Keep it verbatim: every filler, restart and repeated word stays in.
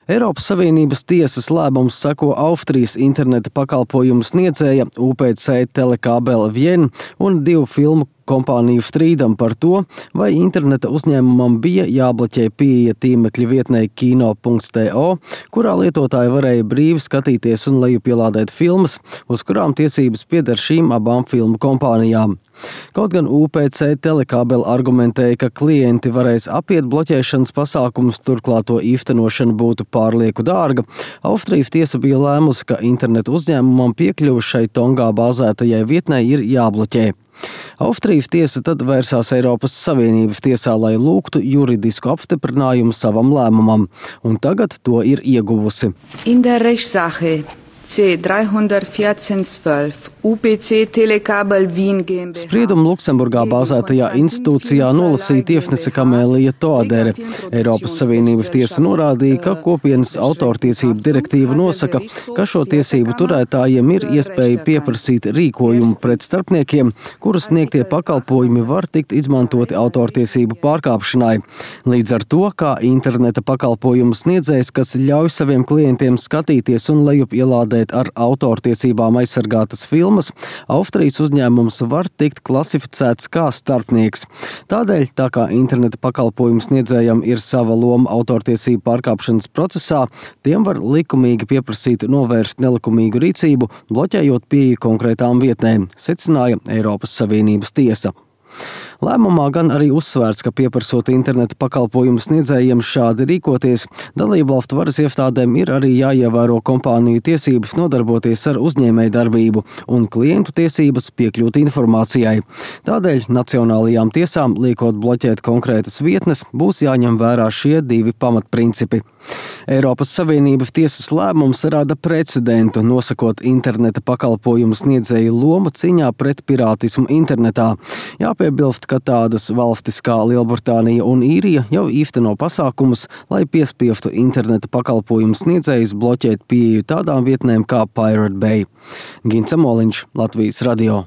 Eiropas Savienības tiesas lēmums seko Austrijas interneta pakalpojumu sniedzēja U P C Telekabel Vien un divu filmu kompāniju strīdam par to, vai interneta uzņēmumam bija jābloķē pieeja tīmekļa vietnei kino punkts T O, kurā lietotāji varēja brīvi skatīties un lejupielādēt filmas, uz kurām tiesības pieder šīm abām filmu kompānijām. Kaut gan U P C Telekabel argumentēja, ka klienti varēs apiet bloķēšanas pasākumus, turklāt to īstenošana būtu pārlieku dārga, Austrijas tiesa bija lēmusi, ka interneta uzņēmumam piekļuve šai Tongā bāzētajai vietnei ir jābloķē. Austrijas tiesa tad vērsās Eiropas Savienības tiesā, lai lūgtu juridisku apstiprinājumu savam lēmumam, un tagad to ir ieguvusi. In der Rechtssache C drei vierzehn zwölf U P C Telekabel Wien GmbH. Spriedumu Luksemburgā bāzētajā institūcijā nolasīja tiesnese Kamēlija Toadere. Eiropas Savienības tiesa norādīja, ka kopienas autortiesību direktīva nosaka, ka šo tiesību turētājiem ir iespēja pieprasīt rīkojumu pret starpniekiem, kurus sniegtie pakalpojumi var tikt izmantoti autortiesību pārkāpšanai. Līdz ar to, kā interneta pakalpojumu sniedzējs, kas ļauj saviem klientiem skatīties un lejupielādēt ar autortiesībām aizsargātas filmas, Austrijas uzņēmums var tikt klasificēts kā starpnieks. Tādēļ, tā kā interneta pakalpojumu sniedzējam ir sava loma autortiesību pārkāpšanas procesā, tiem var likumīgi pieprasīt novērst nelikumīgu rīcību, bloķējot pieeju konkrētām vietnēm, secināja Eiropas Savienības tiesa. Lēmumā gan arī uzsvērts, ka pieprasot interneta pakalpojumu sniedzējiem šādi rīkoties, dalībvalstu varas iestādēm ir arī jāievēro kompāniju tiesības nodarboties ar uzņēmēju darbību un klientu tiesības piekļūt informācijai. Tādēļ nacionālajām tiesām, liekot bloķēt konkrētas vietnes, būs jāņem vērā šie divi pamatprincipi. Eiropas Savienības tiesas lēmums rada precedentu, nosakot interneta pakalpojumu sniedzēju lomu cīņā pret pirātismu internetā. Jāpiebilst, ka tādas valstis kā Lielbritānija un Īrija jau īsteno pasākumus, lai piespiestu interneta pakalpojumu sniedzējus bloķēt pieeju tādām vietnēm kā Pirate Bay. Gints Amoliņš, Latvijas radio.